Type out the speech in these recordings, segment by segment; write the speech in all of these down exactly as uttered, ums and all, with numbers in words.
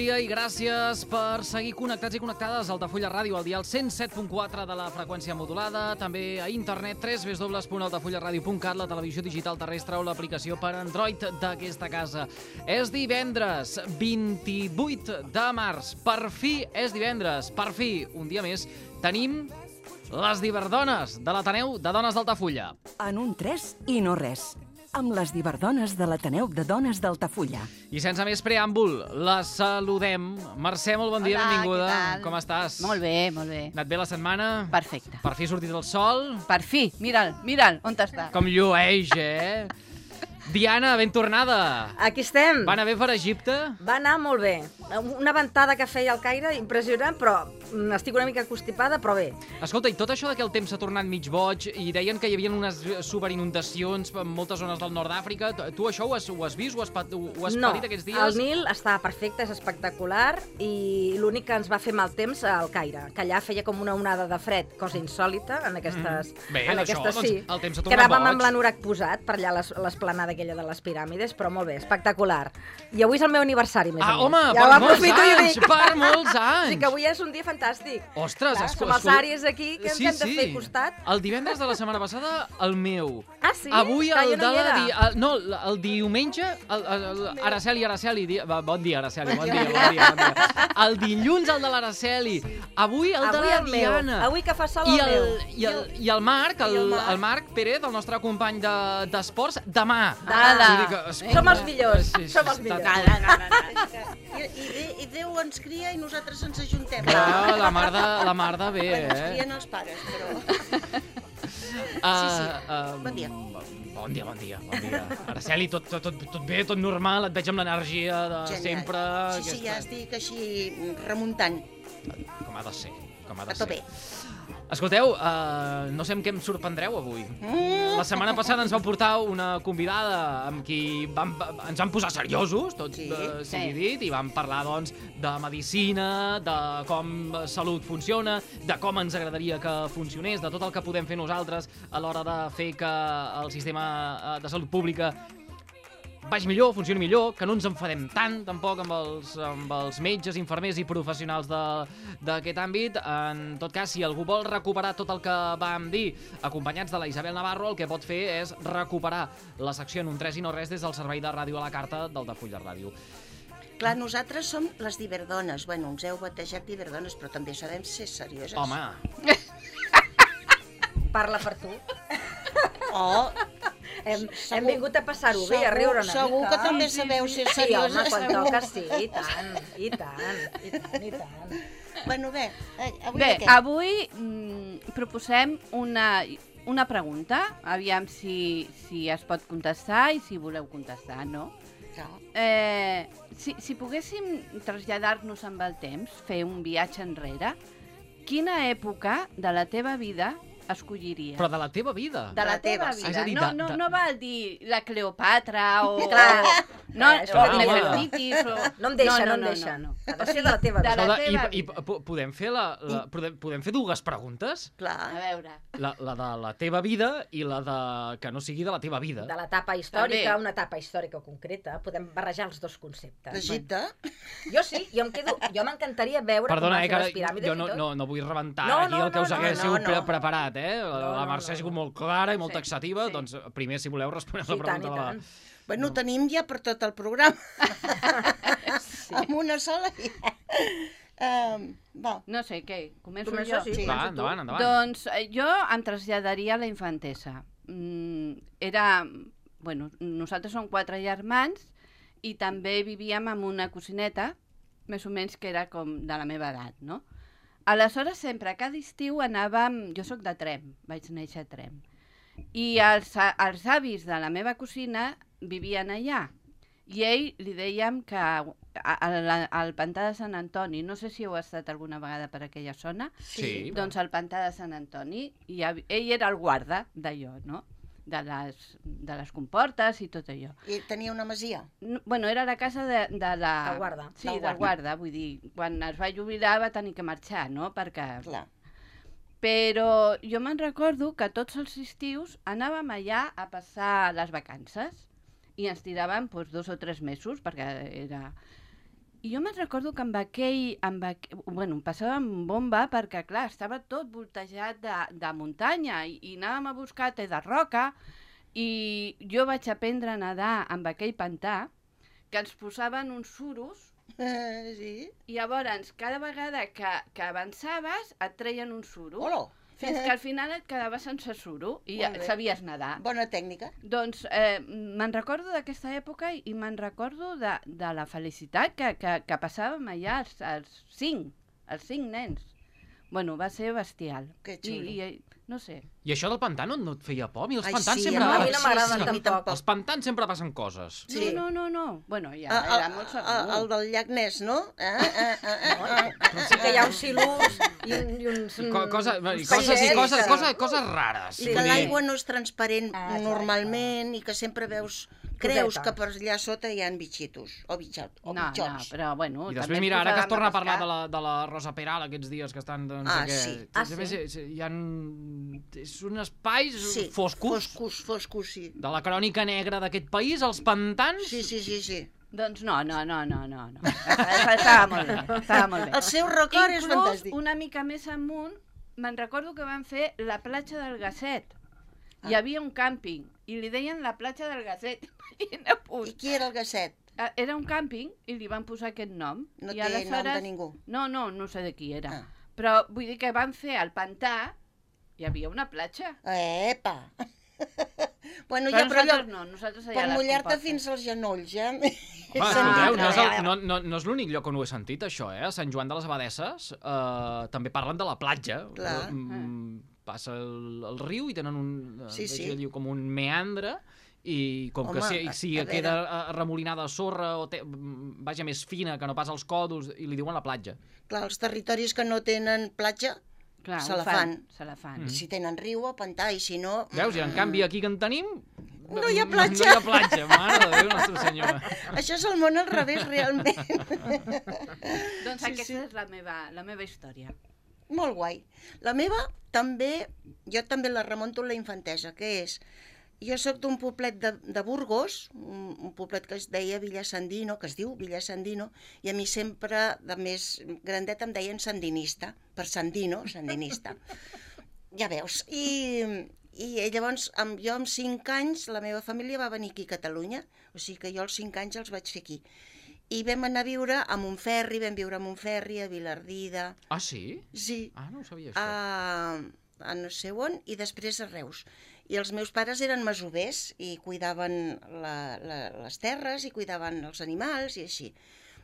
dia i gràcies per seguir connectats i connectades a Altafulla Ràdio, al dial cent set punt quatre de la freqüència modulada, també a internet w w w punt altafulla ràdio punt cat, la televisió digital terrestre o l'aplicació per Android d'aquesta casa. És divendres, vint-i-vuit de març. Per fi és divendres, per fi, un dia més, tenim les Diverdones de l'Ateneu de Dones d'Altafulla. En un tres i no res, amb les Diverdones de l'Ateneu de Dones d'Altafulla. I sense més preàmbul, la saludem. Mercè, molt bon dia, Hola, benvinguda. què tal? Com estàs? Molt bé, molt bé. Anat bé la setmana? Perfecte. Per fi ha sortit el sol? Per fi, mira'l, mira'l, on està? Com llueix, eh? Diana, ben tornada. Aquí estem. Va anar bé per Egipte? Va anar molt bé. Una ventada que feia al Caire, impressionant, però estic una mica constipada, però bé. Escolta, i tot això de que el temps s'ha tornat mig boig i deien que hi havia unes superinundacions en moltes zones del nord d'Àfrica, tu això ho has, ho has vist, ho has, pat, ho has no, patit aquests dies? el Nil està perfecte, és espectacular, i l'únic que ens va fer mal temps al Caire, que allà feia com una onada de fred, cosa insòlita en aquestes... Mm. Bé, en això, aquestes, doncs, sí. el temps s'ha tornat Quedàvem boig. amb l'anorac posat per allà a l'esplanada aquella de les piràmides, però molt bé, espectacular. I avui és el meu aniversari, més Ah, o home, menys. per Ja ho molts aprofito i ho anys, dic. per molts anys. Sí, que avui és un dia fantàstic. Ostres, Clar, esco- som els escol- àries aquí, que ens sí, hem de sí. fer costat. El divendres de la setmana passada, el meu. Ah, sí? Avui Que el jo no de hi la... era. Di... El, no, el diumenge... El, el, el, Araceli, Araceli... Di... Va, bon dia, Araceli, bon dia, bon dia, bon dia. El dilluns el de l'Araceli. Avui el de Avui la el meu. Diana. Avui que fa sol I el el, meu. i el, i el Marc, el, I el Marc. el Marc Pérez, el nostre company de- d'esports, de, demà. Ala. Vull dir que es- Som els millors, Sí, sí, som els està- millors. No, no, no, no. I, i, Dé- i Déu ens cria i nosaltres ens ajuntem. Clar, la mar de, la mar de bé, Bueno, ens eh? crien els pares, però... Uh, sí. uh, Bon dia. Bon dia, bon dia, bon dia. Araceli, tot, tot, tot, tot bé, tot normal, et veig amb l'energia de Genial. sempre. Sí, sí, ja estic així remuntant. Com ha de ser, com ha de A tope. ser. Escolteu, uh, no sé amb què em sorprendreu avui. La setmana passada ens vau portar una convidada amb qui vam, ens vam posar seriosos, tot Sí, uh, sigui sí. dit, i vam parlar, doncs, de medicina, de com salut funciona, de com ens agradaria que funcionés, de tot el que podem fer nosaltres a l'hora de fer que el sistema eh, de salut pública vagi millor, funcioni millor, que no ens enfadem tant, tampoc, amb els, amb els metges, infermers i professionals de- d'aquest àmbit. En tot cas, si algú vol recuperar tot el que vam dir, acompanyats de la Isabel Navarro, el que pot fer és recuperar la secció en un tres i no res des del servei de ràdio a la carta d'Altafulla Ràdio. Clar, nosaltres som les Diverdones. Bueno, ens heu batejat Diverdones, però també sabem ser serioses. Home, Parla per tu. Oh, Hem, Segur- hem vingut a passar-ho bé, a segur- riure una segur mica. que també sabeu ser Sí, home, serioses. quan toca sí, i tant, i tant, i tant, i tant. bueno, bé, eh, avui Bé, de què? avui mm, proposem una, una pregunta, aviam si, si es pot contestar i si voleu contestar, no? Clar. Eh, si, si poguéssim traslladar-nos amb el temps, fer un viatge enrere, quina època de la teva vida escolliries? però de la teva vida. De la La teva, teva sí. vida. És a dir, no, de- no, de- no val dir la Cleopatra o... Clar. No, Eh, o escolta, Nefertitis o... No em deixa, no, em deixa. no. Ha de ser de la teva De vida. la Escolta, teva i, i vida. po- podem fer la, la podem, podem fer dues preguntes? A Clar. veure... La, la de la teva vida i la de que no sigui de la teva vida. De l'etapa històrica, També. una etapa històrica concreta, podem barrejar els dos conceptes. D'Egipte? Jo sí, jo em quedo, jo m'encantaria veure Perdona, com eh, van fer que les piràmides jo no, i tot. no, no vull rebentar No, aquí no, el que us no, no, haguéssiu no, pre no. preparat, eh? La, No, la no, Mercè ha no. sigut molt clara i molt Sí, taxativa, sí. doncs primer, si voleu, responeu Sí, la i tant, pregunta i de la... tant. Bueno, tenim ja per tot el programa. Sí. Amb una sola ja. Um, va. No sé, què? Començo Començo, jo? sí. Sí. Va, comença tu. endavant, endavant. Doncs eh, jo em traslladaria a la infantesa. Mm, era... Bueno, nosaltres som quatre germans i també vivíem amb una cosineta, més o menys que era com de la meva edat, no? Aleshores, sempre, cada estiu anàvem... Jo sóc de Tremp, vaig néixer a Tremp. I els, a- els avis de la meva cosina vivien allà. I ell li dèiem que a- a- a- al pantà de Sant Antoni, no sé si heu estat alguna vegada per aquella zona, Sí. doncs al pantà de Sant Antoni, i hav- ell era el guarda d'allò, no? De les, de les comportes i tot allò. I tenia una masia. No, bueno, era la casa de, de la... Del guarda. Sí, Del del guarda. Vull dir, quan es va jubilar va tenir que marxar, no? Perquè... Clar. Però jo me'n recordo que tots els estius anàvem allà a passar les vacances i ens tiràvem doncs, dos o tres mesos, perquè era... I jo me'n recordo que amb aquell... Amb aqu... Bueno, passàvem bomba perquè, clar, estava tot voltejat de, de muntanya i, i anàvem a buscar te de roca i jo vaig aprendre a nedar amb aquell pantà que ens posaven uns suros Eh, sí. i llavors cada vegada que, que avançaves et treien un suro. Hola. Fins que al final et quedaves sense suro i ja Molt bé. sabies nedar. Bona tècnica. Doncs eh, me'n recordo d'aquesta època i me'n recordo de, de la felicitat que, que, que passàvem allà els, els cinc, els cinc nens. Bueno, va ser bestial. Que xulo. I, i, no sé. I això del pantà no, no et feia por? A mi els Ai, pantans sí, sempre... a mi no m'agraden sí, sí, a mi tampoc. Els pantans sempre passen coses. Sí. No, no, no, no. Bueno, ja Ah, era ah, molt ah, segur. el del llac Ness, no? Ah, ah, ah, ah, ah. Sí que hi ha uns silurs i, un, i uns... Co cosa, uns i coses, i peixets, coses, que- coses, coses rares. I vull que dir- l'aigua no és transparent Ah, clar, normalment i que sempre veus... Creus Coseta. que per allà sota hi ha bitxitos o, bitxot, o No, no, bitxots. però bueno... I també després, ens mira, ara que es posàvem torna a parlar pescar. de la, de la Rosa Peral aquests dies que estan... No Ah, sé què, sí. Ah, també sí? hi- hi ha... És un espais Sí, foscos, foscos, foscos, sí. de la crònica negra d'aquest país, els pantans... Sí, sí, sí, sí. Doncs no, no, no, no, no. no. Estava molt bé, estava molt bé. El seu record és Inclús, fantàstic. una mica més amunt, me'n recordo que van fer la platja del Gasset. Ah. Hi havia un càmping i li deien la platja del Gasset. Imagina, I punt. qui era el Gasset? Ah, era un càmping i li van posar aquest nom. No I té nom de ningú. No, no, no sé de qui era. Ah. Però vull dir que van fer al pantà, hi havia una platja. Epa! Bueno, Però ja, però allò, nosaltres no, nosaltres allà per a les mullar-te compostes. fins als genolls, ja. Home, Ah, escolteu, no és, no, el, no, no, no és l'únic lloc on ho he sentit, això, eh? A Sant Joan de les Abadesses eh, també parlen de la platja. Clar. Eh, mm, passa el, el riu i tenen un, eh, Sí, sí. diu, com un meandre i com que Home, si, a- si a queda veure. eh, remolinada de sorra o té, mm, vaja, més fina que no pas als còdols i li diuen la platja. Clar, els territoris que no tenen platja, Clar, se ho la fan. Se la fan. Mm. si tenen riu o pantà, i si no... Veus? I en canvi aquí que en tenim... No hi ha No, platja. no hi ha platja, mare de Déu, Nostra Senyora. Això és el món al revés, realment. Doncs Sí, aquesta sí. és la meva, la meva història. Molt guai. La meva també, jo també la remunto a la infantesa, que és, jo sóc d'un poblet de, de Burgos, un, un poblet que es deia Villasandino, que es diu Villasandino, i a mi sempre, de més grandet, em deien sandinista, per Sandino, sandinista. Ja veus. I, i llavors, amb, jo amb cinc anys, la meva família va venir aquí a Catalunya, o sigui que jo als cinc anys els vaig fer aquí. I vam anar a viure a Montferri, vam viure a Montferri, a Vilardida... Ah, sí? Sí, Ah, no ho sabia, això. a, a no sé on, i després a Reus. I els meus pares eren masovers i cuidaven la, la, les terres i cuidaven els animals i així.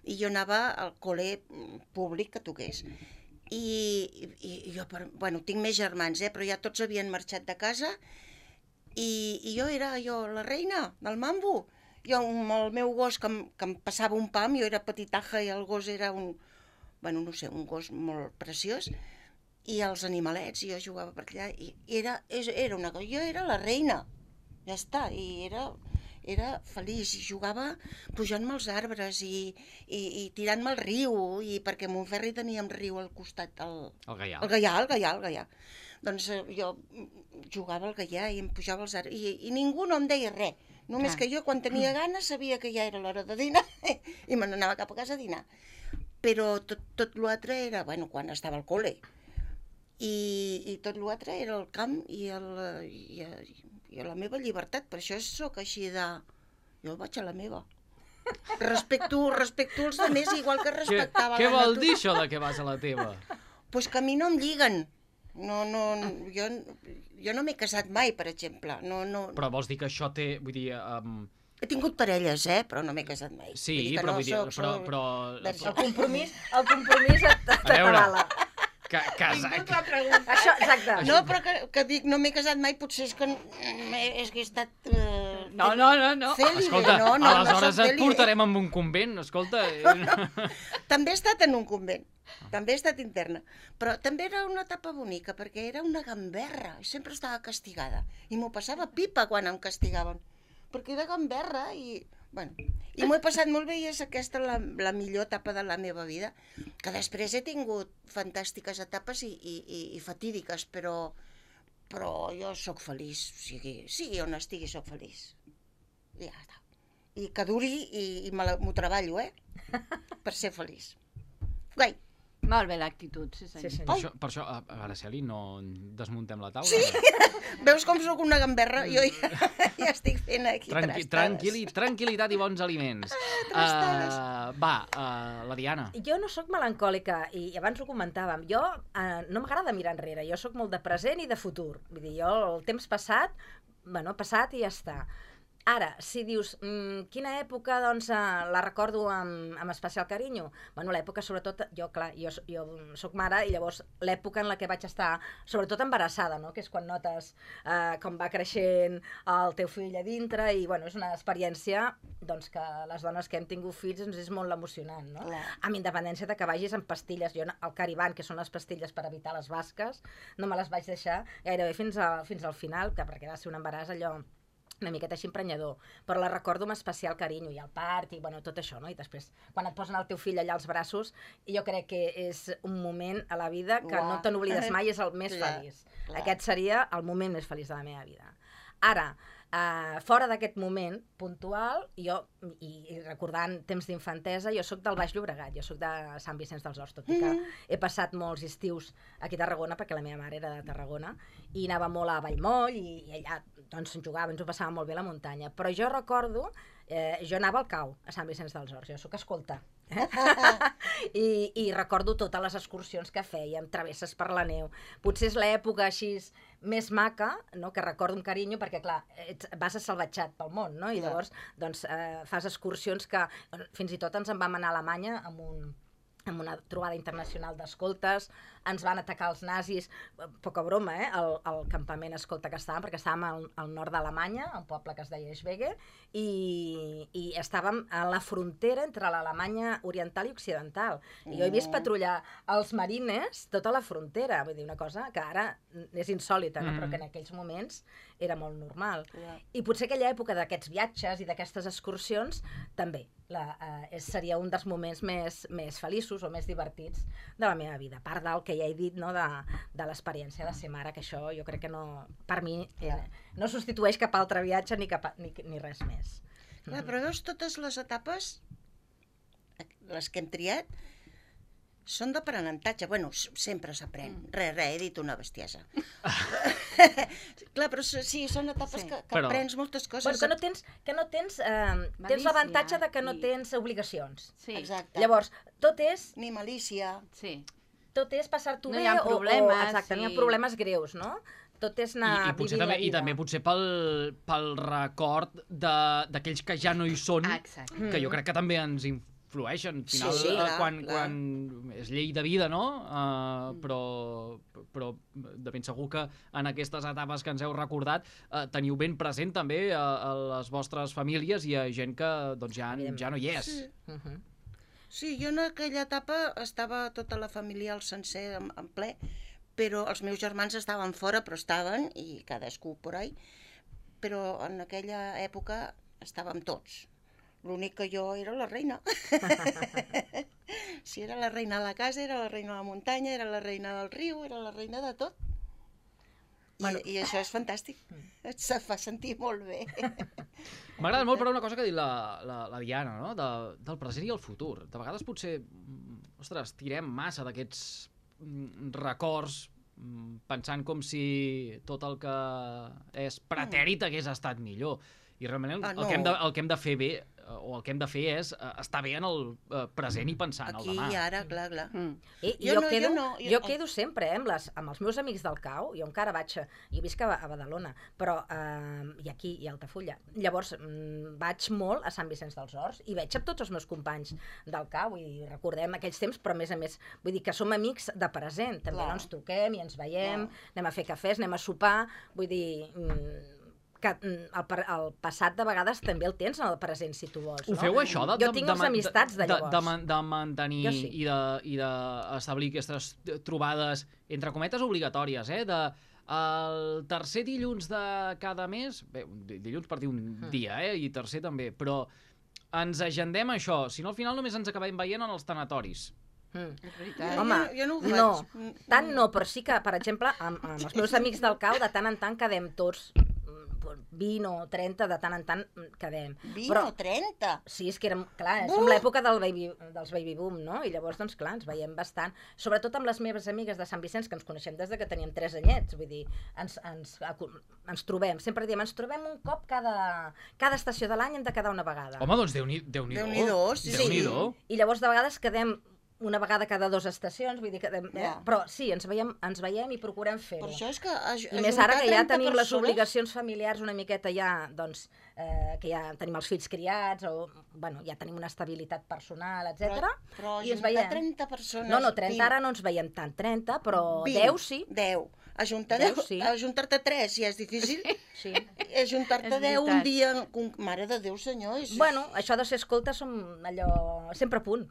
I jo anava al col·le públic que toqués. I, i, i jo, per, bueno, tinc més germans, eh, però ja tots havien marxat de casa i, i jo era jo la reina del mambo. Jo amb el meu gos que em, que em passava un pam, jo era petitaja i el gos era un, bueno, no sé, un gos molt preciós, i els animalets, i jo jugava per allà, i era, era una cosa, jo era la reina, ja està, i era, era feliç, i jugava pujant-me als arbres i, i, i tirant-me al riu, i perquè a Montferri teníem riu al costat, el, El Gaià. el Gaià, el Gaià, el Gaià. Doncs eh, jo jugava al Gaià i em pujava als arbres, i, i ningú no em deia res, només Clar. que jo quan tenia gana sabia que ja era l'hora de dinar i me n'anava cap a casa a dinar. Però tot, tot l'altre era, bueno, quan estava al col·le, i, i tot l'altre era el camp i, el, i, i la meva llibertat, per això sóc així de... Jo vaig a la meva. Respecto, respecto els altres igual que Què, respectava què la vol natura. dir això de que vas a la teva? Pues que a mi no em lliguen. No, no, jo, jo no m'he casat mai, per exemple. No, no... Però vols dir que això té... Vull dir... Um, He tingut parelles, eh? Però no m'he casat mai. sí, Vull dir que però, no vull dir, soc- però, soc però, verge. El compromís, el compromís et, A veure. t'avala. que, casa, Això, exacte. No, però que, que dic, no m'he casat mai, potser és que, mm, és que he estat... Eh, No, no, no, no. cèlibe. escolta, no, no, aleshores no soc et cèlibe. portarem amb un convent, escolta. eh, També he estat en un convent, també he estat interna, però també era una etapa bonica, perquè era una gamberra, i sempre estava castigada, i m'ho passava pipa quan em castigaven, perquè era gamberra, i, bueno, i m'ho he passat molt bé, i és aquesta la, la millor etapa de la meva vida, que després he tingut fantàstiques etapes i, i, i, i fatídiques, però, però jo sóc feliç, o sigui, sigui on estigui sóc feliç, i ja està. I que duri i, i me la- m'ho treballo, eh? per ser feliç. Guai. Molt bé l'actitud, sí senyor. Sí, senyor. Per això, per això a, a Araceli, no desmuntem la taula? Sí. Veus com sóc una gamberra? Jo ja, ja estic fent aquí Tranqui, trastades. tranquil·li, tranquil·litat i bons aliments. trastades. Uh, va, uh, la Diana. Jo no sóc melancòlica, i abans ho comentàvem. Jo eh, no m'agrada mirar enrere, jo sóc molt de present i de futur. Vull dir, jo el temps passat, bueno, passat i ja està. Ara, si dius, mmm, quina època doncs, eh, la recordo amb, amb especial carinyo? Bueno, l'època, sobretot, jo, clar, jo, jo soc mare, i llavors l'època en la que vaig estar, sobretot embarassada, no?, que és quan notes eh, com va creixent el teu fill a dintre, i bueno, és una experiència doncs, que les dones que hem tingut fills ens és molt emocionant, no? Clar. Amb independència de que vagis amb pastilles. Jo, el Cariban, que són les pastilles per evitar les basques, no me les vaig deixar gairebé fins, a, fins al final, que perquè va ser un embaràs allò una miqueta així emprenyador, però la recordo amb especial carinyo, i el part, i bueno, tot això, no? I després, quan et posen el teu fill allà als braços, jo crec que és un moment a la vida que Uah. no te n'oblides mai, és el més Clar, feliç. clar. Aquest seria el moment més feliç de la meva vida. Ara, eh, fora d'aquest moment puntual, jo, i, i recordant temps d'infantesa, jo sóc del Baix Llobregat, jo sóc de Sant Vicenç dels Horts, tot i que he passat molts estius aquí a Tarragona, perquè la meva mare era de Tarragona, i anava molt a Vallmoll, i, i allà doncs jugava, ens ho passava molt bé a la muntanya. Però jo recordo, eh, jo anava al Cau, a Sant Vicenç dels Horts, jo sóc escolta. Eh? I, I recordo totes les excursions que fèiem, travesses per la neu. Potser és l'època així més maca, no?, que recordo amb carinyo, perquè clar, ets, vas assalvatjat pel món, no? I Clar. llavors doncs, eh, fas excursions que fins i tot ens en vam anar a Alemanya amb un amb una trobada internacional d'escoltes, ens van atacar els nazis, poca broma, eh, el, el campament escolta que estàvem, perquè estàvem al, al nord d'Alemanya, un poble que es deia Schwege, i, i estàvem a la frontera entre l'Alemanya oriental i occidental. I jo he vist patrullar els marines tota la frontera, vull dir, una cosa que ara és insòlita, no? Mm. Però que en aquells moments era molt normal. Clar. I potser aquella època d'aquests viatges i d'aquestes excursions també la, eh, seria un dels moments més, més feliços o més divertits de la meva vida, a part del que ja he dit, no, de, de l'experiència de ser mare, que això jo crec que no, per mi eh, no substitueix cap altre viatge ni, cap, ni, ni res més. Clar, però veus, totes les etapes, les que hem triat, són d'aprenentatge. Bueno, s- sempre s'aprèn. Mm. Re, re, he dit una bestiesa. Clar, però s- sí, són etapes Sí. que, que Però- aprens moltes coses. Bueno, que no tens, que no tens, eh, tens Malícia l'avantatge de que no i- tens obligacions. Sí, Exacte. Llavors, tot és, Ni malícia. sí. tot és passar-t'ho No bé hi ha o- o, problemes, exacte, no hi ha i- problemes greus, no? Tot és I, anar i, potser vivint també, la I vida. també potser pel, pel record de- d'aquells que ja no hi són, Ah, exacte. que jo crec que també ens influeixen. Al final, Sí, sí, eh, clar, quan, clar. quan és llei de vida, no? Uh, però, però de ben segur que en aquestes etapes que ens heu recordat uh, teniu ben present també a, a les vostres famílies i a gent que doncs, ja, ja no hi és. Sí. Mhm. Sí, jo en aquella etapa estava tota la família al sencer en, en ple, però els meus germans estaven fora, però estaven, i cadascú por ahí, però en aquella època estàvem tots. L'únic que jo era la reina. Si era la reina de la casa, era la reina de la muntanya, era la reina del riu, era la reina de tot. I, Bueno. i això és fantàstic. Et se fa sentir molt bé. M'agrada molt, però, una cosa que ha dit la, la, la Diana, no? De, del present i el futur. De vegades potser, mm, ostres, tirem massa d'aquests mm, records mm, pensant com si tot el que és pretèrit hagués estat millor. I realment el, Ah, el, que, hem de, no. el que hem de fer bé, eh, o el que hem de fer és eh, estar bé en el eh, present i pensar en el Aquí demà. i ara, clar, clar. Mm. I, i Jo jo, no, quedo, jo no, jo- jo quedo sempre eh, amb, les, amb els meus amics del Cau, jo encara vaig, a- jo visc a, a Badalona, però, eh, i aquí, i a Altafulla. Llavors, mm, vaig molt a Sant Vicenç dels Horts i veig amb tots els meus companys del Cau i recordem aquells temps, però a més a més, vull dir que som amics de present, també Clar. no ens truquem i ens veiem, Clar. anem a fer cafès, anem a sopar, vull dir... Mm, que mm, el, per- el passat de vegades també el tens en el present, si tu vols. Ho no? feu, això? De, Jo de, tinc de, les amistats de, de, de, llavors. de, man- de mantenir Jo sí. i de- i d'establir aquestes trobades, entre cometes, obligatòries, eh? De, el tercer dilluns de cada mes, bé, un di- dilluns per dir un Mm. dia, eh? I tercer també, però ens agendem això, si no al final només ens acabem veient en els tanatoris. Mm. És veritat. Home, jo, jo no ho faig. no, Mm, tant no, però sí que, per exemple, amb, amb els meus amics del Cau, de tant en tant quedem tots, mm, vint o trenta, de tant en tant quedem. vint Però, o trenta? sí, és que érem, clar, Buh! som l'època del baby, dels baby boom, no? I llavors, doncs, clar, ens veiem bastant. Sobretot amb les meves amigues de Sant Vicenç, que ens coneixem des de que teníem tres anyets, vull dir, ens, ens, ens trobem, sempre diem, ens trobem un cop cada, cada estació de l'any, hem de quedar una vegada. Home, doncs Déu-n'hi-do. Déu-n'hi-do, sí, sí. Déu-n'hi-do. I llavors de vegades quedem una vegada cada dues estacions, vull dir que... Eh? Ja. Però sí, ens veiem, ens veiem i procurem Per fer-ho. això és que... aj- I més ara ajuntar que ja trenta tenim les persones- obligacions familiars una miqueta ja, doncs, eh, que ja tenim els fills criats, o, bueno, ja tenim una estabilitat personal, etcètera. Però, però i ens ajuntar veiem. trenta persones... No, no, trenta vint, ara no ens veiem tant, trenta, però vint, deu sí. deu. Ajuntar Deu, deu, sí. ajuntar-te tres ja és difícil. Sí. Ajuntar-te És deu un veritat. dia... con- Mare de Déu, senyor. És... Bueno, això de ser escolta som allò... sempre a punt.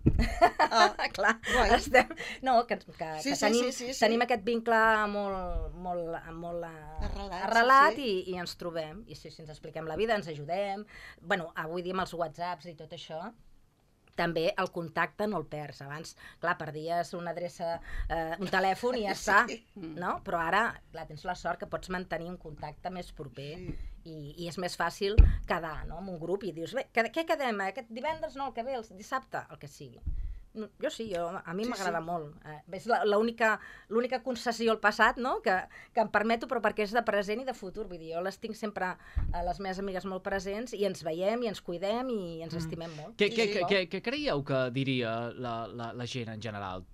Ah, Clar, guai. estem... No, que, que, Sí, que sí, tenim, sí, sí, sí. tenim aquest vincle molt, molt, molt eh, Arrelat, arrelat sí, i, i ens trobem. I sí, sí, ens expliquem la vida, ens ajudem. Bueno, avui dia amb els whatsapps i tot això, també el contacte no el perds. Abans, clar, perdies una adreça, eh, un telèfon i ja està, no? Però ara, clar, tens la sort que pots mantenir un contacte més proper i, i és més fàcil quedar, no?, en un grup i dius, bé, què, què quedem? Aquest divendres? No, el que ve, el dissabte? El que sigui. No, jo sí, jo, a mi Sí, m'agrada sí. molt. Eh, és la- l'única l'única concessió al passat, no?, que, que em permeto, però perquè és de present i de futur. Vull dir, jo les tinc sempre, a les meves amigues molt presents, i ens veiem, i ens cuidem, i ens estimem molt. Què, Sí, què, sí. què, què, què creieu que diria la, la, la gent en general?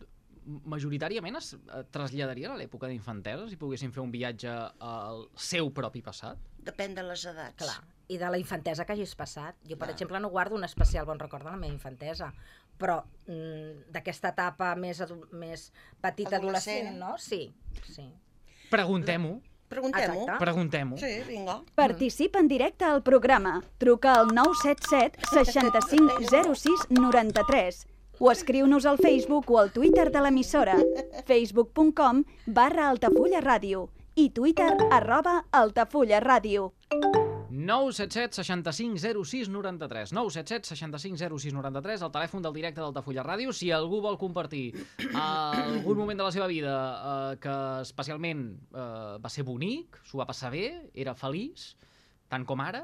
Majoritàriament es eh, traslladarien a l'època d'infantesa si poguessin fer un viatge al seu propi passat? Depèn de les edats. Clar, i de la infantesa que hagis passat. Jo, per Clar. exemple, no guardo un especial bon record de la meva infantesa, però mm, d'aquesta etapa més, adu- més petita, adolescent, Adolescent. no? Sí, sí. Preguntem-ho, Preguntem-ho. Exacte. preguntem-ho. Sí, vinga. Participa en directe al programa. Truca al nou set set seixanta-cinc zero sis noranta-tres o escriu-nos al Facebook o al Twitter de l'emissora facebook punt com barra Altafulla Ràdio i Twitter arroba Altafulla Ràdio. nou set set seixanta-cinc zero sis noranta-tres nou set set seixanta-cinc zero sis noranta-tres, el telèfon del directe d'Altafulla Ràdio. Si algú vol compartir algun moment de la seva vida eh, que especialment eh, va ser bonic, s'ho va passar bé, era feliç, tant com ara,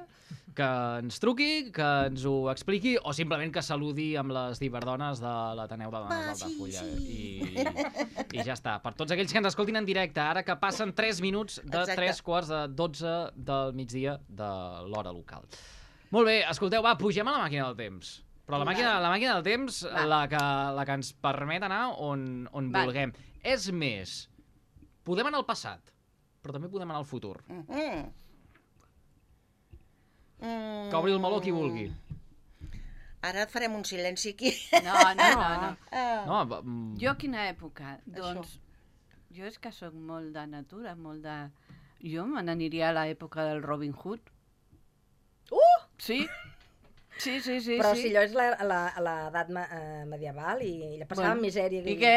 que ens truqui, que ens ho expliqui, o simplement que saludi amb les diverdones de l'Ateneu de Dones Va, sí, d'Altafulla. sí. I, I ja està. Per tots aquells que ens escoltin en directe, ara que passen tres minuts de Exacte. tres quarts de dotze del migdia de l'hora local. Molt bé, escolteu, va, pugem a la màquina del temps. Però la màquina, la màquina del temps, Va. la que, la que ens permet anar on, on Va. vulguem. És més, podem anar al passat, però també podem anar al futur. Mm. Mm. Que obri el meló qui vulgui. Ara farem un silenci aquí. No, no, no, no. Ah. No, va, mm, Jo quina època? Doncs jo és que sóc molt de natura, molt de... Jo me n'aniria a l'època del Robin Hood. Uh! Sí? Sí, sí, sí. Però sí. si allò és la- la- l'edat me, eh, medieval i ella passava Bueno, bueno, misèria. I què?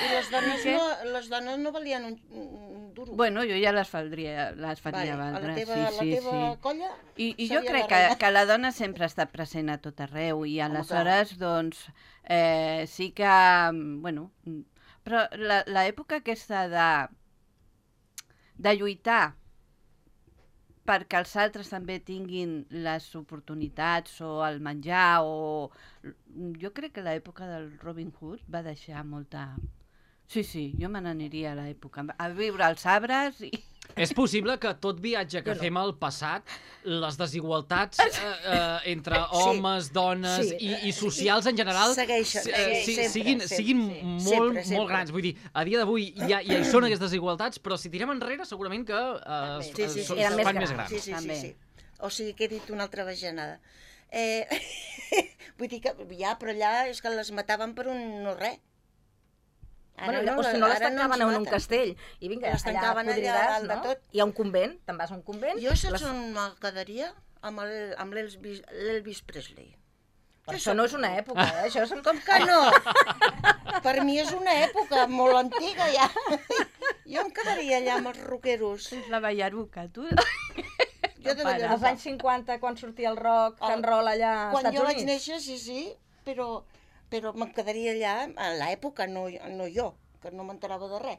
I les dones, què? no, les dones no valien un, un duro. Bueno, jo ja les faria, les faria vale. A valdre. la teva, sí, la sí, teva sí. colla... I, i jo seria crec la que, reina. que la dona sempre ha estat present a tot arreu i Home, aleshores, doncs, eh, sí que, bueno, però la- l'època aquesta de, de lluitar perquè els altres també tinguin les oportunitats o el menjar o... Jo crec que l'època del Robin Hood va deixar molta... Sí, sí, jo me n'aniria a l'època, a viure als arbres i... és possible que tot viatge que Jo no. fem al passat, les desigualtats eh, eh, entre homes, dones Sí. i, i socials en general Segueixen, si- sí, si- sempre, siguin, sempre, siguin sí. molt, Sempre, sempre. molt grans. Vull dir, a dia d'avui ja, ja hi són aquestes desigualtats, però si tirem enrere segurament que eh, es, Sí, sí, es, sí. es Eren més fan més grans. grans. Sí, sí, sí, També. sí. O sigui que he dit una altra bajanada. Eh, vull dir que ja, però allà és que les mataven per un no res. Bueno, o si no les ara tancaven ens en un maten. castell i vinga, Les allà tancaven allà podrides, dalt de no? tot. Hi ha un convent, te'n vas a un convent. Jo saps les- on me quedaria? Amb el- amb l'Elvis l'Elvis Presley. Però això no és una època, eh? Això és un... Com que no? Per mi és una època molt antiga ja. Jo em quedaria allà amb els rockeros. És la ballaruca, tu. Jo de Pare. Ballaruca. Als anys cinquanta, quan sortia el rock, El- and roll allà als Quan Estats jo vaig Units. néixer, sí, sí, però, però me'n quedaria allà a l'època, no, no jo. que no m'enterava de res.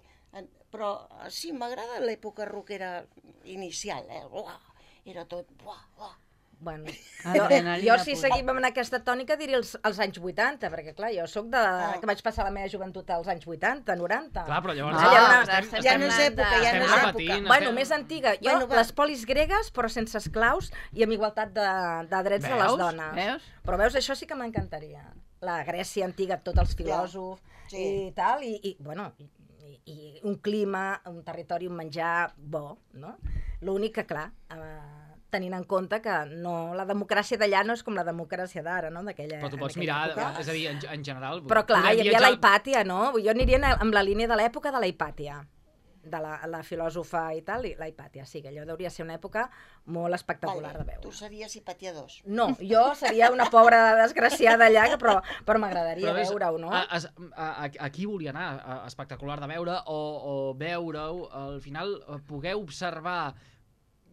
Però sí, m'agrada l'època rockera inicial, eh? Uah, era tot... Uah, uah. Bueno, jo, Adrenalina jo si pura. seguim amb aquesta tònica diria els, els anys vuitanta, perquè clar, jo sóc de... Ah. que vaig passar la meva joventut als anys vuitanta, noranta. Clar, però llavors... No, Allà una- però estem, ja no és estem època, ja estem no és repetint. època. Bueno, estem- més antiga. Jo, Bueno, va. les polis gregues, però sense esclaus i amb igualtat de, de drets de les Veus? dones. Veus? Però veus, això sí que m'encantaria. La Grècia antiga, tots els filòsofs sí. i tal, i, i bueno, i, i un clima, un territori, un menjar bo, no? L'únic que, clar, eh, tenint en compte que no, la democràcia d'allà no és com la democràcia d'ara, no? D'aquella Però tu pots en aquella mirar, època. és a dir, en, en general... Però clar, podem hi havia viatjar- la Hipàtia, no? Jo aniria en- amb la línia de l'època de la Hipàtia, de la, la filòsofa i tal, i la Hipàtia. Sí, que allò hauria ser una època molt espectacular de Vale, veure. tu series Hipàtia dos. No, jo seria una pobra desgraciada allà, que però, però m'agradaria ves, veure-ho, no? A, a, a, a qui volia anar? A, espectacular de veure o, o veure-ho, al final eh, poder observar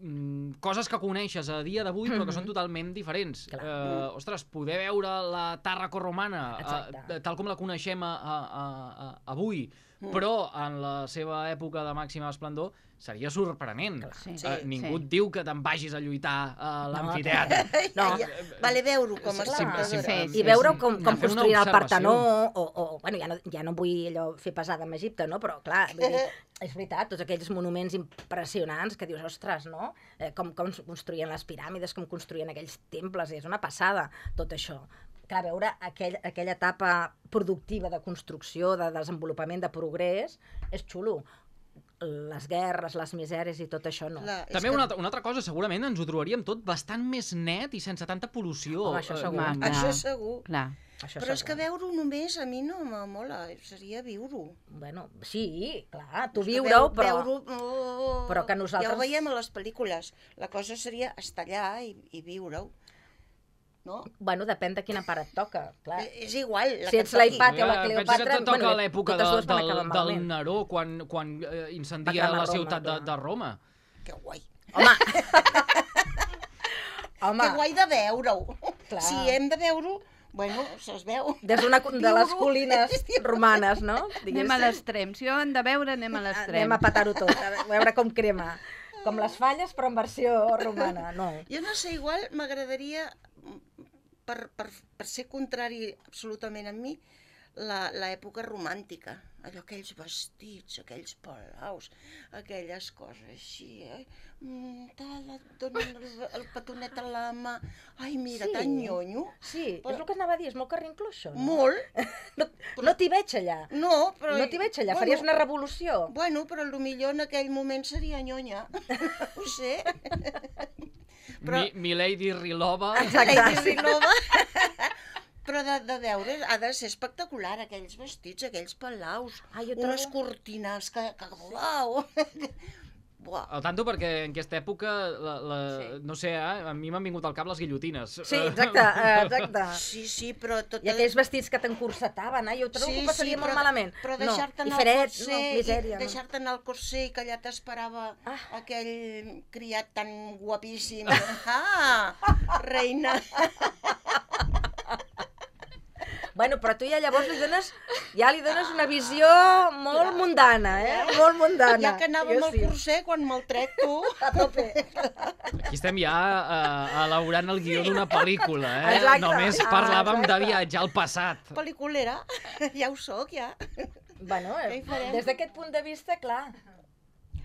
mm, coses que coneixes a dia d'avui però que són totalment diferents. Clar. Eh, ostres, poder veure la Tàrraco romana Exacte. eh, tal com la coneixem a, a, a, a, avui, però en la seva època de màxima esplendor seria sorprenent. Sí. Eh, ningú sí. et diu que te'n vagis a lluitar a No, l'amfiteatre. No. Ja, vale veure-ho com a Sí, Clar. sí, espectadora. sí, I veure com, anar com a fer una construïen el observació. Partenó, o, o bueno, ja no, ja no vull allò fer pesada amb Egipte, no? Però clar, vull dir, és veritat, tots aquells monuments impressionants que dius, ostres, no? Eh, com, com construïen les piràmides, com construïen aquells temples, és una passada, tot això. Clar, veure aquell, aquella etapa productiva de construcció, de desenvolupament, de progrés, és xulo. Les guerres, les misèries i tot això no. Clar, és També que- una, altra- una altra cosa, segurament ens ho trobaríem tot bastant més net i sense tanta pol·lució. Home, això Eh, segur. mm, Clar. Això segur. Clar. Això Però és que segur. veure-ho només a mi no m'amola, seria viure-ho. Bueno, sí, clar, tu És que viure-ho, veu- però... veure-ho, oh, però que nosaltres- Ja ho veiem a les pel·lícules. La cosa seria estar allà i, i viure-ho. No? Bueno, depèn de quina part et toca, clar. Eh, És igual. La Si que ets la toqui. Hipàtia o la Eh, pensa Cleopatra, que toca bueno, l'època totes de, dues van del, acabar del malament. Neró, quan, quan eh, incendia Va cremar la Roma, ciutat de, clar. de Roma. Que guai. Home! Home, Que guai de veure-ho. Clar. Si hem de veure-ho, bueno, es veu. des d'una de les Viure-ho. colines romanes, no? Anem a l'extrem. Si ho hem de veure, anem a l'extrem. Anem a petar-ho tot, a veure com crema. Com les falles, però en versió romana, no. Jo no sé, igual m'agradaria, per, per, per ser contrari absolutament a mi, la- l'època romàntica. Allò, aquells vestits, aquells palaus, aquelles coses així, eh? Mm, tal, et donen el, el petonet a la mà. Ai, mira, Sí. tan nyonyo. Sí, Però- és el que anava a dir, és molt carrincló, això, no? Molt. No, no t'hi veig allà. No, però... No t'hi veig allà, faries una revolució. Bueno, però millor en aquell moment seria nyonya. Ho sé. Però- Mi, Milady Rilova. Exacte. Lady Rilova. Però de, de veure, ha de ser espectacular, aquells vestits, aquells palaus, Ah, jo unes trobo- cortines que, que uau! Buah. Al tanto, perquè en aquesta època, la, la, Sí. no sé, eh, a mi m'han vingut al cap les guillotines. Sí, exacte, eh, exacte. Sí, sí, però tot... I aquells vestits que t'encursetaven, eh? Jo trobo que ho passaria molt malament. Però no, deixar-te i anar al fred, corser, no, misèria. i deixar-te anar al corser i que allà t'esperava Ah. aquell criat tan guapíssim. Ah, reina. Bueno, però tu ja llavors li dones, ja li dones una visió molt mundana, eh? Molt mundana. Ja que anàvem Jo al sí. corser, quan me'l trec tu... A tope. Aquí estem ja uh, elaborant el guió d'una pel·lícula, eh? Exacte. Només Ah, parlàvem de exacte. viatjar al passat. Pel·liculera, ja ho sóc, ja. Bueno, Què hi eh, farem? des d'aquest punt de vista, clar,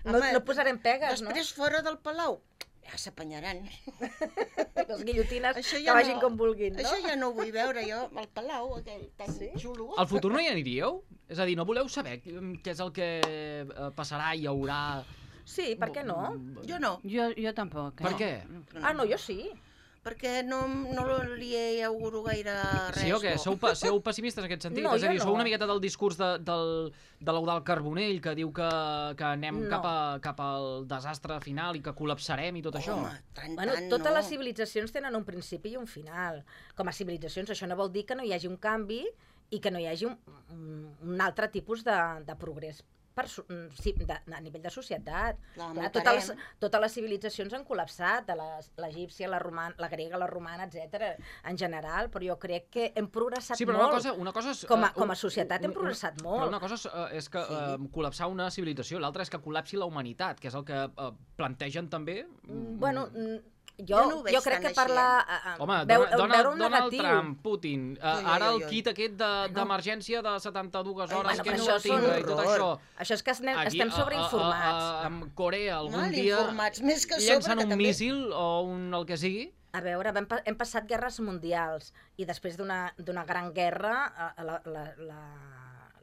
no, Home, no posarem pegues, Després, fora del palau, ja s'apanyaran. no? Les guillotines Això que ja vagin no- com vulguin, no? Això ja no ho vull veure jo, al palau, aquell tan Sí? xulo. Al futur no hi aniríeu? És a dir, no voleu saber què és el que eh, passarà, hi haurà... Sí, per què no? Jo no, Jo, jo tampoc. Per eh? què? Ah, no, jo sí. perquè no, no li auguro gaire res. Sí o què? bo. Sou, pa sou pessimistes en aquest sentit? No, és a jo dir, no. sou una miqueta del discurs de, del, de l'Eudald Carbonell que diu que, que anem No. cap, a, cap al desastre final i que col·lapsarem i tot això? Home, tant, Bueno, tant totes no. les civilitzacions tenen un principi i un final. Com a civilitzacions, això no vol dir que no hi hagi un canvi i que no hi hagi un, un, un altre tipus de, de progrés per, sí, de, a nivell de societat. Clar, Clar, m'ho totes, les, parem. totes les civilitzacions han col·lapsat, l'egípcia, la, roman, la grega, la romana, etcètera, en general, però jo crec que hem progressat Sí, però molt. una cosa, una cosa és... Com a, eh, com a un- societat hem un- progressat Però molt. una cosa és, eh, és que eh, col·lapsar una civilització, l'altra és que col·lapsi la humanitat, que és el que eh, plantegen també... Mm, Bueno, mm, jo, Jo no ho veig jo crec tan que així, parlar... eh? eh, Home, veu, Donald, veure un Donald negatiu. Trump, Putin, eh, Ui, ui, ara el ui, ui. kit aquest de- d'emergència de, de setanta-dues Ai, hores bueno, que però no això el és un tinga i tot horror. això. Això és que estem, Aquí, estem a- sobreinformats. A, a, a, amb Corea algun Mal dia informats, més que a sobre, llencen que un també- míssil o un el que sigui. A veure, hem, pa- hem passat guerres mundials i després d'una d'una gran guerra eh, la, la, la,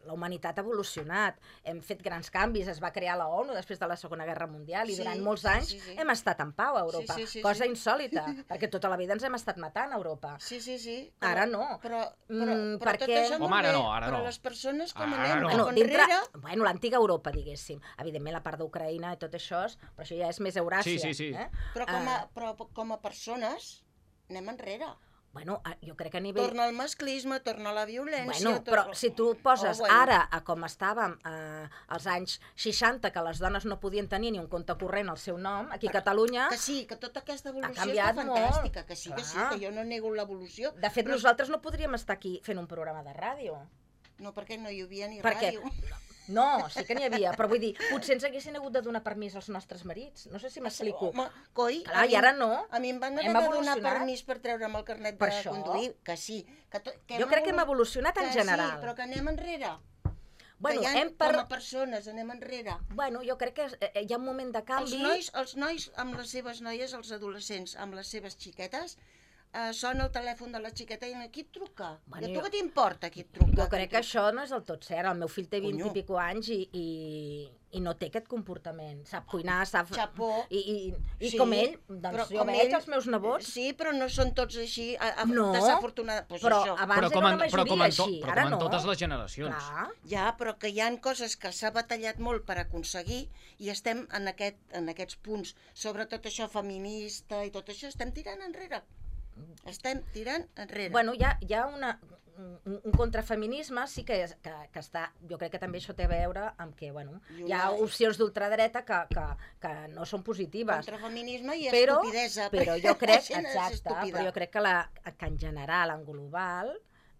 la humanitat ha evolucionat. Hem fet grans canvis, es va crear la ONU després de la Segona Guerra Mundial i Sí, durant molts sí, anys sí, sí. hem estat en pau a Europa, Sí, sí, sí, cosa sí. insòlita, perquè tota la vida ens hem estat matant a Europa. Sí, sí, sí. Ara no. Però, però, Mm, però tot perquè- això molt Home, ara bé, no, ara però no. les persones com Ara anem no. cap Bueno, dintre, enrere... bueno, l'antiga Europa, diguéssim. Evidentment, la part d'Ucraïna i tot això, és- però això ja és més Euràsia. Sí, sí, sí. Eh? Però com a, Ah, però com a persones anem enrere. bueno, ah, jo crec que a nivell... Torna al masclisme, torna a la violència... Bueno, però torna- si tu poses Oh, bueno. ara a com estàvem eh, als anys seixanta, que les dones no podien tenir ni un compte corrent al seu nom, aquí a Catalunya... Que sí, que tota aquesta evolució canviat està molt. fantàstica, que sí, que sí, Clar. que jo no nego l'evolució. De fet, però- nosaltres no podríem estar aquí fent un programa de ràdio. No, perquè no hi havia ni Perquè- ràdio. No, sí que n'hi havia, però vull dir, potser ens haguessin hagut de donar permís als nostres marits. No sé si m'explico. Home, coi, Clar, a i mi- ara no. A mi em van haver Hem de donar evolucionat. permís per treure'm el carnet Per de això. conduir, que sí. Que to, que Jo crec que hem evolu- evolucionat en que general. Sí, però que anem enrere. Bueno, que ja, hem per... com a persones anem enrere. bueno, jo crec que eh, hi ha un moment de Els canvi... nois, els nois amb les seves noies, els adolescents amb les seves xiquetes, eh, sona el telèfon de la xiqueta i qui et truca? Bueno, I a tu jo- què t'importa qui et truca? Jo crec que això no és del tot cert. El meu fill té vint Conyo. i pico anys i, i, i no té aquest comportament. Sap cuinar, sap... Xapó. I, i, i Sí, com ell, però doncs jo com veig ell- els meus nebots, Sí, però no són tots així, a, a, No, desafortunada. Pues però això. abans Però com, era en, una però com, majoria en, to, així, però ara com en no. totes les generacions. Clar. Ja, però que hi han coses que s'ha batallat molt per aconseguir i estem en, aquest, en aquests punts, sobretot això feminista i tot això, estem tirant enrere. Estem tirant enrere. Bueno, hi ha, hi ha una, un, un contrafeminisme, sí que, és, que, que està... Jo crec que també això té a veure amb que, bueno, I hi ha una- opcions d'ultradreta que, que, que no són positives. Contra feminisme i però, estupidesa. però perquè jo crec, la gent és exacte, estúpida. però jo crec que, la, que en general, en global,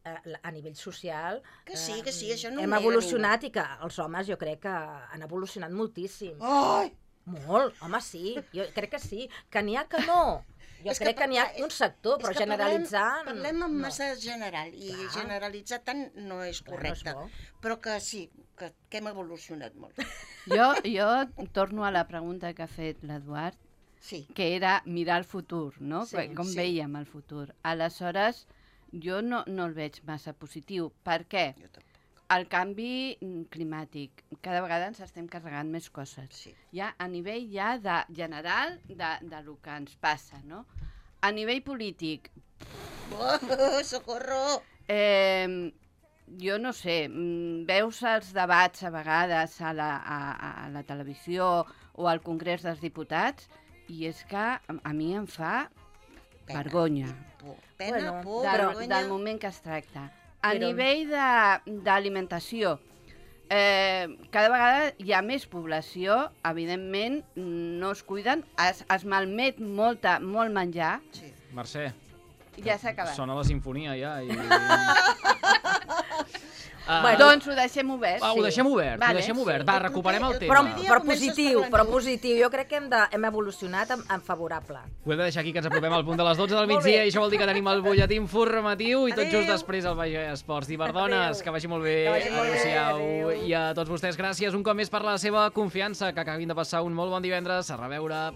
eh, a nivell social, Que sí, eh, que sí, això no ho hem nega evolucionat i que els homes jo crec que han evolucionat moltíssim. Ai! Molt, home, sí, jo crec que sí, que n'hi ha que no. Jo És crec que, n'hi ha és- un sector, és però que generalitzar... Parlem, parlem en no. massa general i Clar. generalitzar tant no és Clar, no és correcte. bo. Però que sí, que, que hem evolucionat molt. Jo, jo torno a la pregunta que ha fet l'Eduard, Sí. que era mirar el futur, no? Sí, Com sí. veiem el futur. Aleshores, jo no, no el veig massa positiu. Per què? Jo tampoc. El canvi mm, climàtic. Cada vegada ens estem carregant més coses. Sí. Ja a nivell ja de general de, de lo que ens passa, no? A nivell polític, Oh, socorro! eh, jo no sé, mm, veus els debats a vegades a la, a, a la televisió o al Congrés dels Diputats i és que a, a mi em fa Pena. vergonya Por. Pena, Bueno, por, del, vergonya. del moment que es tracta. A Però- nivell de- d'alimentació, eh, cada vegada hi ha més població, evidentment no es cuiden, es, es malmet molta, molt menjar, Sí. Mercè, ja s'ha acabat. sona la sinfonia ja. I... Uh, Bueno, doncs ho deixem obert. va, ho deixem obert, Vale, ho deixem sí. obert. Va, recuperem el Però, tema. dia però comences positiu, parlant però tu. positiu. Jo crec que hem, de, hem evolucionat en, en favorable. Ho hem de deixar aquí, que ens apropem al punt de les dotze del Molt migdia bé. i això vol dir que tenim el butlletí informatiu i tot Adéu. just després el Baix Esports. Diverdones, Adéu. que vagi molt bé. Que vagi molt bé, Adéu-siau. adéu. I a tots vostès, gràcies un cop més per la seva confiança. Que acabin de passar un molt bon divendres. A reveure.